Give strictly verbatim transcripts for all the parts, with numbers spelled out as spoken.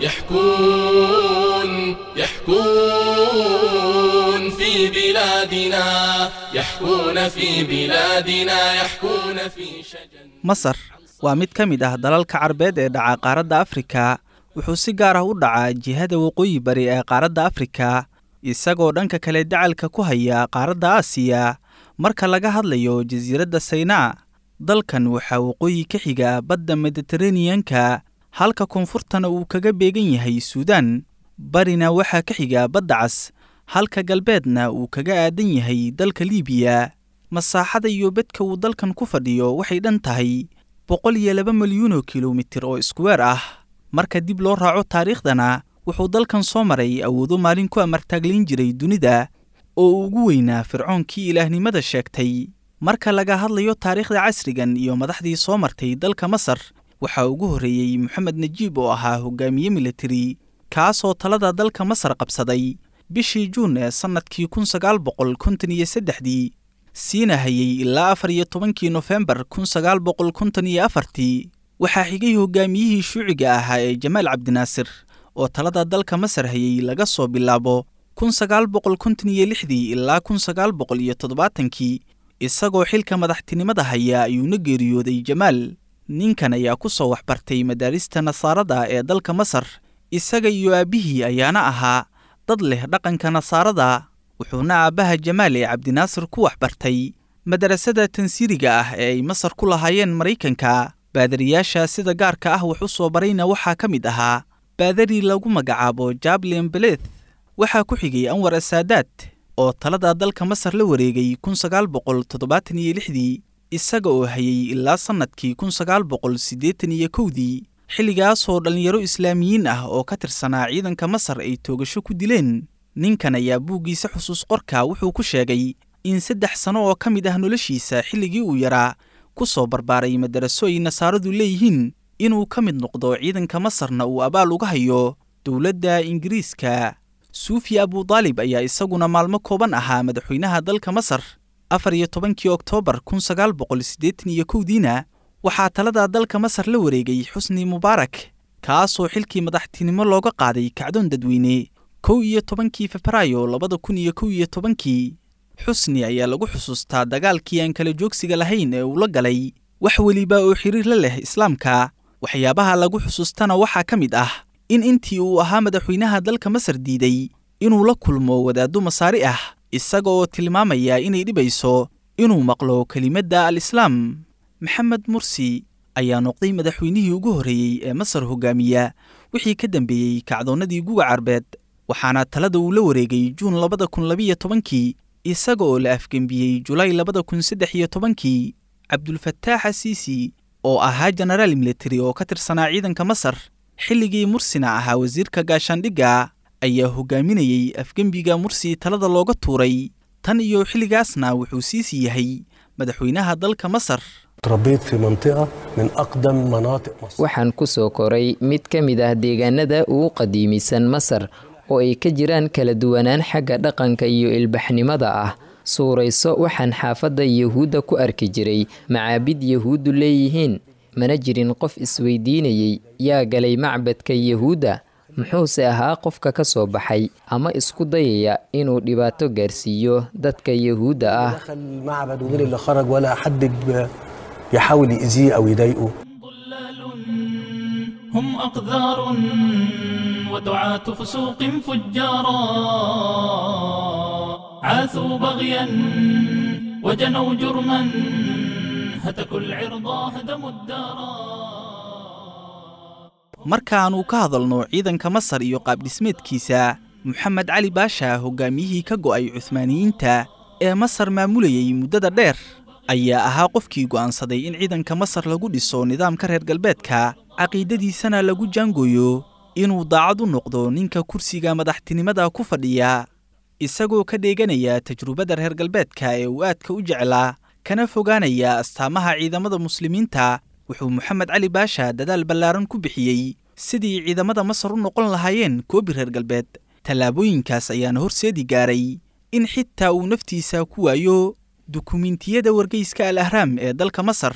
يحكون يحكون في بلادنا يحكون في بلادنا يحكون في شجن. Masar waa mid ka mid ah dalalka Carbeed ee dhaca qaaradda Afrika. Wuxuu si gaar ah u dhacaa jihada waqooyi bari ee qaaradda Afrika, isagoo dhanka kale dacalka ku haya qaaradda Aasiya. Marka laga hadlayo jasiiradda Saynaa, dalkan waxaa waqooyi ka xiga badda Mediteraneanka, halka koonfurtana uu kaga beegan yahay Suudaan. Barina waxaa ka xiga badda Cas, halka galbeedna uu kaga aadan yahay dalka Liibiya. Masaaxada iyo bedka uu dalkan ku fadhiyo waxay dhan tahay boqol iyo laba milyuun oo kilomitir oo iskuweer ah. Marka dib loo raaco taariikhdana, wuxuu dalkan soo maray awoodo maalin ku amartaaglayn jiray dunida, oo uu ugu weynaa fircoonkii ilaahnimada sheegtay. Marka laga hadlayo taariikhda casrigan iyo madaxdii soo martay dalka Masar, waxaa ugu horreeyey Moxamed Najiib oo ahaa hogaamiye militari, kaasoo talada dalka Masar qabsaday bishii Juun ee sannadkii kun sagaal boqol konton iyo saddexdii, siina hayay ilaa afar iyo tobankii Nofembar kun sagaal boqol konton iyo afartii. Waxaa xigay hogaamiyihii shuuciga ahaa ee Jamaal Cabdinaasir oo talada dalka Masar hayay laga soo bilaabo kun sagaal boqol konton iyo lixdii ilaa kun sagaal boqol iyo toddobaatankii. Isagoo xilka madaxtinimada haya ayuuna geeriyooday Jamaal. Ninkan ayaa ku soo waxbartay madaarista nasaarada ee dalka Masar, isaga iyo aabbihii ayaana ahaa dad leh dhaqanka nasaarada. Wuxuuna aabbaha Jamaal ee Cabdinaasir ku waxbartay madarasada tansiiriga ah ee ay Masar ku lahaayeen Maraykanka. Baadariyaasha sida gaarka ah wax u soo barayna waxaa ka mid ahaa baadari lagu magacaabo Jablin Beleth. Waxaa ku xigay Anwar Asaadaad oo talada dalka Masar la wareegay kun sagaal boqol toddobaatan iyo lixdii, isaga oo hayay ilaa sannadkii kun sagaal boqol siddeetan iyo kowdii, xilligaasoo dhallinyaro islaamiyiin ah oo ka tirsanaa ciidanka Masar ay toogasho ku dileen. Ninkan ayaa buuggiisa xusuus qorka wuxuu ku sheegay in saddex sano oo ka mid ah noloshiisa xilligii uu yaraa ku soo barbaaray madaraso ay nasaaradu leeyihiin, inuu ka mid noqdo ciidanka Masarna uu abaal uga hayo dowladda Ingiriiska. Suufi Abudaalib ayaa isaguna maalmo kooban ahaa madaxweynaha dalka Masar. Afar iyo tobankii Oktoobar kun sagaal boqol siddeetan iyo kowdiina waxaa talada dalka Masar la wareegay Xusni Mubaarak, kaasoo xilkii madaxtinimo looga qaaday kacdoon dadweyne kow iyo tobankii Febraayo labada kun iyo kow iyo tobankii. Xusni ayaa lagu xusuustaa dagaalkii aan kala joogsiga lahayn ee uu la galay wax weliba oo xiriir la leh Islaamka. Waxyaabaha lagu xusuustana waxaa ka mid ah in intii uu ahaa madaxweynaha dalka Masar diiday inuu la kulmo wadaaddo masaari ah, isaga oo tilmaamaya inay dhibayso inuu maqlo kelimadda al-Islaam. Maxamed Mursi ayaa noqday madaxweynihii ugu horreeyey ee Masar hogaamiya wixii ka dambeeyey kacdoonnadii Guga Carbeed, waxaana talada uu la wareegay Juun labada kun labiyo tobankii, isaga oo la afgembiyey Julaay labada kun saddex iyo tobankii. Cabdulfataax Asiisi oo ahaa jenaraal militari oo ka tirsanaa ciidanka Masar xilligii Mursina ahaa wasiirka gaashaandhigga, ayaa hogaaminayey afgembiga Mursi talada looga tuuray. Tan iyo xilligaasna wuxuu Siisi yahay madaxweynaha dalka Masar. تربيت في منطقة من أقدم مناطق مصر. Waxaan ku soo koray mid ka mid ah deegaanada ugu qadiimisan Masar, oo ay ka jiraan kala duwanaan xagga dhaqanka iyo ilbaxnimada ah. Suurayso, waxaan xaafadda Yahuudda ku arki jiray macaabid Yahuuddu leeyihiin. Mana jirin qof isweydiinayay yaa galay macbadka Yahuudda, muxuuse ahaa qofka ka soo baxay ama isku dayaya inuu dhibaato gaarsiiyo dadka Yahuudda ah. دخل المعبد ومين اللي خرج، ولا حد ب- يحاول يأذيه أو يضايقه. ضلال هم أقذار ودعاة فسوق فجارا، عاثوا بغيا وجنوا جرما، هتكوا العرض هدموا الدارا. Markaannu ka hadalno ciidanka Masar iyo qaabdhismeedkiisa, Moxamed Cali Baasha, hogaamiyihii ka go'ay Cuhmaaniyiinta ee Masar maamulayay muddada dheer, ayaa ahaa qofkii go'aansaday in ciidanka Masar lagu dhiso nidaamka reer galbeedka, caqiidadiisana lagu jaangooyo inuu daacad u noqdo ninka kursiga madaxtinimada ku fadhiya, isagoo ka dheeganaya tajrubada reer galbeedka ee uu aadka u jeclaa, kana fogaanaya astaamaha ciidamada muslimiinta. Wuxuu Moxamed Cali Baasha dadaal ballaaran ku bixiyey sidii ciidamada Masar u noqon lahaayeen koobi reer galbeed. Tallaabooyinkaas ayaana horseedi gaaray in xitaa uu naftiisa ku waayo. Dukumiintiyada wargeyska Al Ahraam ee dalka Masar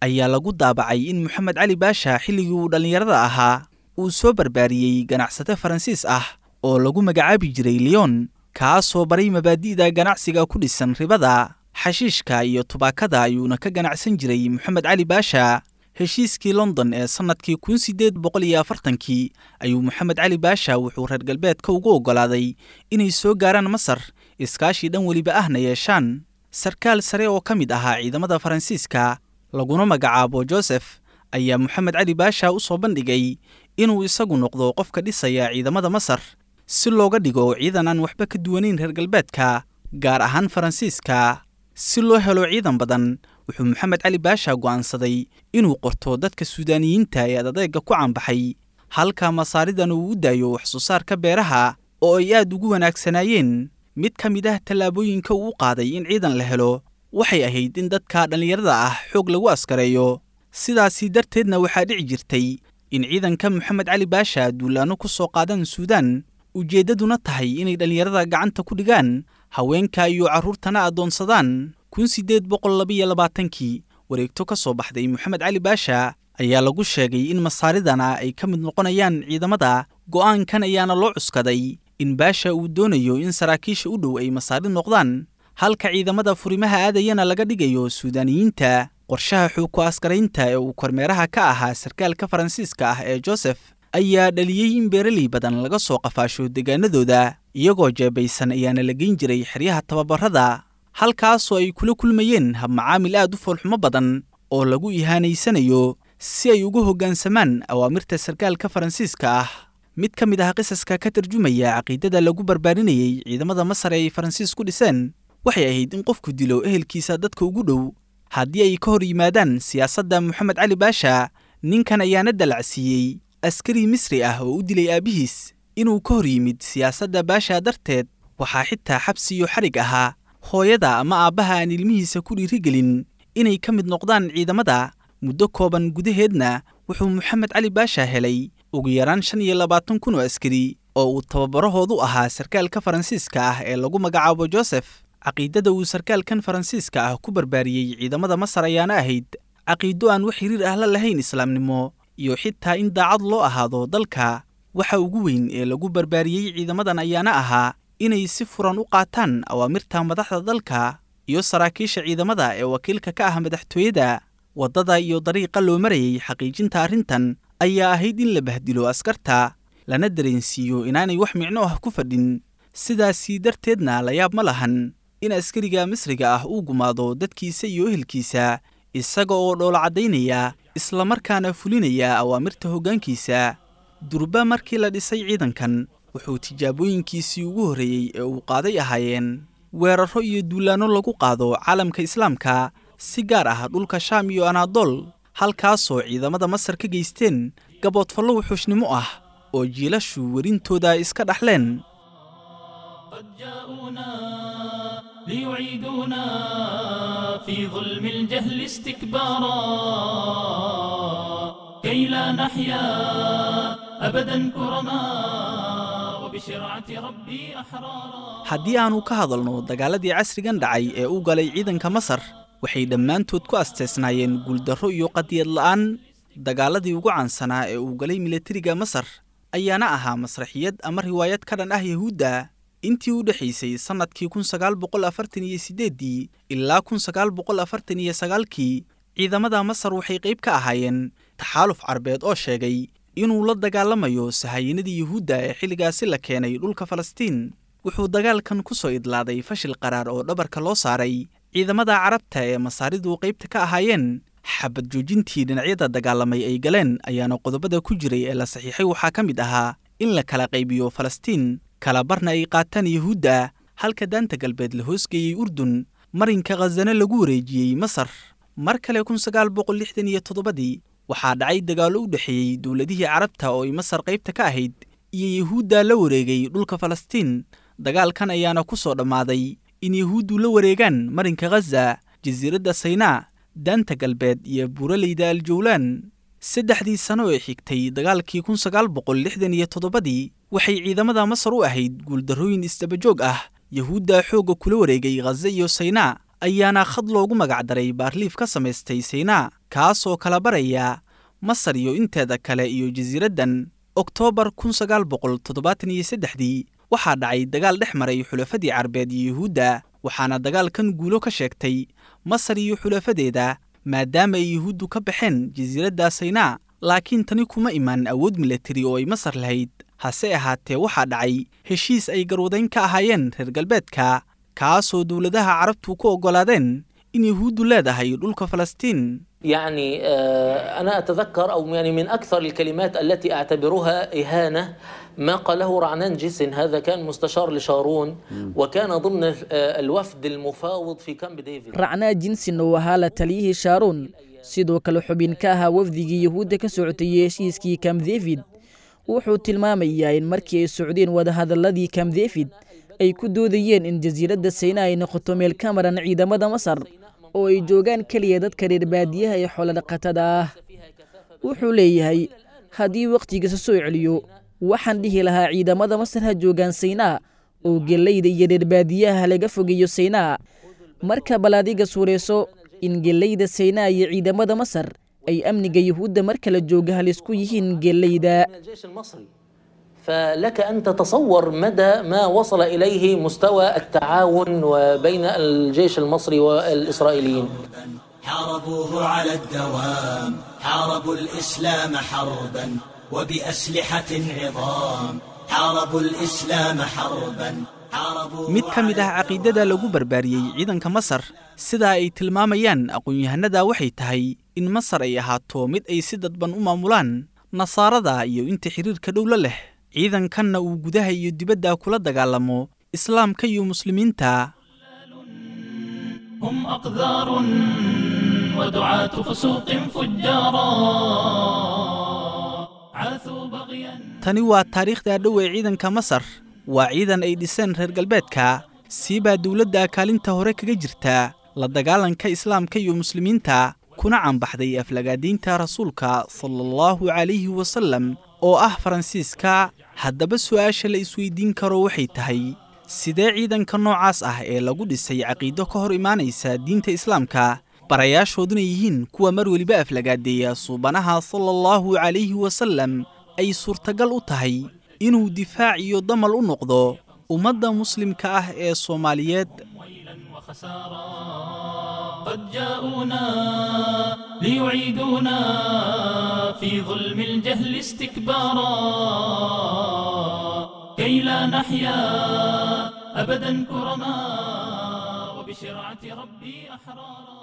ayaa lagu daabacay in Moxamed Cali Baasha xilligii uu dhallinyarada ahaa uu soo barbaariyey ganacsate Faransiis ah oo lagu magacaabi jiray Leon, kaasoo baray mabaadi'da ganacsiga ku dhisan ribada, xashiishka iyo tubaakada ayuuna ka ganacsan jiray Moxamed Cali Baasha. Heshiiskii London ee sannadkii kun sideed boqol iyo afartankii ayuu Moxamed Cali Baasha wuxuu reer galbeedka ugu oggolaaday inay soo gaaraan Masar, iskaashi dhan weliba ahna yeeshaan. Sarkaal sare oo ka mid ahaa ciidamada Faransiiska laguna magacaabo Joseph ayaa Moxamed Cali Baasha u soo bandhigay inuu isagu noqdo qofka dhisaya ciidamada Masar si looga dhigo ciidan aan waxba ka duwanayn reer galbeedka, gaar ahaan Faransiiska. Si loo helo ciidan badan, wuxuu Moxamed Cali Baasha go'aansaday inuu qorto dadka Suudaaniyiinta ee adadeega ku caanbaxay, halka Masaaridan uu u daayo wax soo saarka beeraha oo ay aad ugu wanaagsanaayeen. Mid ka mid ah tallaabooyinka uu u qaaday in ciidan la helo waxay ahayd in dadka dhallinyarada ah xoog lagu askareeyo. Sidaasi darteedna waxaa dhici jirtay in ciidanka Moxamed Cali Baasha duulaanno ku soo qaadaan Suudaan, ujeeddaduna tahay inay dhallinyarada gacanta ku dhigaan, haweenka iyo carruurtana addoonsadaan. kun sideed boqol laba iyo labaatankii wareegto ka soo baxday Moxamed Cali Baasha ayaa lagu sheegay in Masaaridana ay ka mid noqonayaan ciidamada. Go'aankan ayaana loo cuskaday in Baasha uu doonayo in saraakiisha u dhow ay Masaari noqdaan, halka ciidamada furimaha aadayana laga dhigayo Suudaaniyiinta. Qorshaha xoog ku askaraynta ee uu kormeeraha ka ahaa sarkaalka Faransiiska ah ee Joseph ayaa dhaliyey in beeraley badan laga soo qafaasho deegaanadooda, iyagoo jeebaysan ayaana la geyn jiray xeryaha tababarada, halkaasoo ay kula kulmayeen habmacaamil aad u foolxumo badan oo lagu ihaanaysanayo si ay ugu hoggaansamaan awaamirta sarkaalka Faransiiska ah. Mid ka mid ah qisaska ka tarjumaya caqiidada lagu barbaarinayay ciidamada Masar ee ay Faransiis ku dhiseen waxay ahayd in qofku dilo ehelkiisa dadka ugu dhow haddii ay ka hor yimaadaan siyaasadda Moxamed Cali Baasha. Ninkan ayaana dalacsiiyey askari Misri ah oo u dilay aabihiis inuu ka hor yimid siyaasadda Baasha darteed. Waxaa xitaa xabsi iyo xarig ahaa hooyada ama aabbaha aan ilmihiisa ku dhiirigelin inay ka mid noqdaan ciidamada. Muddo kooban gudaheedna wuxuu Moxamed Cali Baasha helay ugu yaraan shan iyo labaatan kun oo askari oo uu tababarahoodu ahaa sarkaalka Faransiiska ah ee lagu magacaabo Joseph. Caqiidada uu sarkaalkan Faransiiska ah ku barbaariyey ciidamada Masar ayaana ahayd caqiido aan wax xiriir ah la lahayn islaamnimo iyo xitaa in daacad loo ahaado dalka. Waxa ugu weyn ee lagu barbaariyey ciidamadan ayaana ahaa inay si furan u qaataan awaamirta madaxda dalka iyo saraakiisha ciidamada ee wakiilka ka ah madaxtooyada. Waddada iyo dariiqa loo marayay xaqiijinta arrintan ayaa ahayd in la bahdilo askarta, lana dareensiiyo inaanay wax micno ah ku fadhin. Sidaasi darteedna la yaab ma lahan in askariga Misriga ah uu gumaado dadkiisa iyo ehelkiisa isaga oo dhoola caddaynaya islamarkaana fulinaya awaamirta hoggaankiisa. Durba markii la dhisay ciidankan, wuxuu tijaabooyinkiisii ugu horreeyey ee uu qaaday ahaayeen weerarro iyo duulaanno lagu qaado caalamka islaamka, si gaar ah dhulka Shaam iyo Anaadool, halkaasoo ciidamada Masar ka geysteen gaboodfallo wuxuushnimo ah oo jiilashu werintooda iska dhaxleen. قد جاءونا ليعيدونا في ظلم الجهل استكبارا، كي لا نحيا أبدا كرما وبشرعة ربي أحرارا. Haddii aanu ka hadalno dagaaladii casrigan dhacay ee u galay ciidanka Masar, waxay dhammaantood ku asteesnaayeen guuldarro iyo qadiyad la'aan. Dagaaladii ugu caansanaa ee uu galay milatariga Masar ayaana ahaa masraxiyad ama riwaayad ka dhan ah Yahuudda. Intii u dhexaysay sannadkii kun sagaal boqol afartan iyo siddeeddii ilaa kun sagaal boqol afartan iyo sagaalkii, ciidamada Masar waxay qayb ka ahaayeen taxaaluf carbeed oo sheegay inuu la dagaalamayo sahayanadii Yuhuudda ee xilligaasi la keenay dhulka Falastiin. Wuxuu dagaalkan ku soo idlaaday fashil qaraar oo dhabarka loo saaray ciidamada carabta ee Masaaridu qaybta ka ahaayeen. Xabad joojintii dhinacyada dagaalamay ay galeen ayaana qodobada ku jiray ee la saxiixay waxaa ka mid ahaa in la kala qaybiyo Falastiin, kala barna ay qaataan Yuhuudda, halka daanta galbeed la hoosgeeyey Urdun, marinka Khazana lagu wareejiyey Masar. Mar kale kun sagaal boqol lixdan iyo toddobadii waxaa dhacay dagaallo u dhexeeyey dowladihii carabta oo ay Masar qaybta ka ahayd iyo Yuhuudda la wareegay dhulka Falastiin. Dagaalkan ayaana ku soo dhammaaday in Yuhuuddu la wareegaan marinka Ghaza, jasiiradda Saynaa, daanta galbeed iyo buuraleyda Aljawlaan. Saddexdii sano ee xigtay dagaalkii kun sagaal boqol lixdan iyo toddobadii waxay ciidamada Masar u ahayd guuldarrooyin isdabajoog ah. Yahuudda xoogga kula wareegay Ghaza iyo Saynaa ayaana khad loogu magacdaray baarliif ka samaystay Saynaa, kaasoo kala baraya Masar iyo inteeda kale iyo jasiiraddan. Oktoobar kun sagaal boqol toddobaatan iyo saddexdii waxaa dhacay dagaal dhex maray xulafadii carbeed iyo yuhuudda, waxaana dagaalkan guulo ka sheegtay Masar iyo xulafadeeda, maadaama ay yuhuuddu ka baxeen jasiiradda Saynaa. Laakiin tani kuma imaan awood milatari oo ay Masar lahayd, hase ahaatee waxaa dhacay heshiis ay garwadayn ka ahaayeen reer galbeedka, kaasoo dowladaha carabtu ku oggolaadeen in yuhuuddu leedahay dhulka Falastiin. يعني أنا أتذكر أو يعني من أكثر الكلمات التي أعتبرها إهانة ما قاله رعنان جيسن، هذا كان مستشار لشارون وكان ضمن الوفد المفاوض في كامب ديفيد. Racnaa Jinsin oo ahaa la taliyihii Shaaruun, sidoo kale xubin ka ahaa wafdigii yuhuudda ka socotay heshiiskii Camp David, wuxuu tilmaamayaa in markii ay socdeen wadahadalladii Camp David ay ku doodayeen in jasiiradda Sayna ay noqoto meel ka maran ciidamada Masar oo ay joogaan keliya dadka reer baadiyaha ee xoolo-dhaqatada ah. Wuxuu leeyahay, haddii wakhtigiisa soo celiyo, waxaan dhihi lahaa ciidamada Masar ha joogaan Saynaa oo gellayda iyo reer baadiyaha laga fogeeyo Saynaa. Marka bal adiga suureyso in gellayda Saynaa iyo ciidamada Masar ay amniga yuhuudda mar kala jooga halis ku yihiin gellayda. من الجيش المصري، فلك أن تتصور مدى ما وصل إليه مستوى التعاون وبين الجيش المصري والإسرائيليين. حاربوه على الدوام، حاربوا الإسلام حربا وبأسلحة عظام، حاربوا الإسلام حربا، حاربوه Mid ka mid ah caqiidada lagu barbaariyey ciidanka Masar, sidaa ay tilmaamayaan aqoon-yahanada, waxay tahay in Masar ay ahaato mid ay si dadban u maamulaan nasaarada iyo inta xiriirka dhow la leh, ciidankanna uu gudaha iyo dibadda kula dagaalamo islaamka iyo muslimiinta. هم أقذار ودعاة فسوق فجارا عاثوا بغيا. Tani waa taariikhda dhow ee ciidanka Masar. Waa ciidan ay dhiseen reer galbeedka, siibaa dowladda kaalinta hore kaga jirta la dagaalanka islaamka iyo muslimiinta, kuna caanbaxday aflagaadiinta rasuulka sala allahu calayhi wasalam oo ah Faransiiska. Haddaba su'aasha la isweydiin karo waxay tahay, sidee ciidanka noocaas ah ee lagu dhisay caqiido ka hor imaanaysa diinta islaamka, barayaashooduna yihiin kuwa mar weliba aflagaadeeya suubanaha sala allahu calayhi wasalam, ay suurtagal u tahay inuu difaac iyo damal u noqdo ummadda muslimka ah ee Soomaaliyeed? ويلا وخسارا قد جاءونا ليعيدونا في ظلم الجهل استكبارا، كي لا نحيا أبدا كرما وبشرعة ربي أحرارا.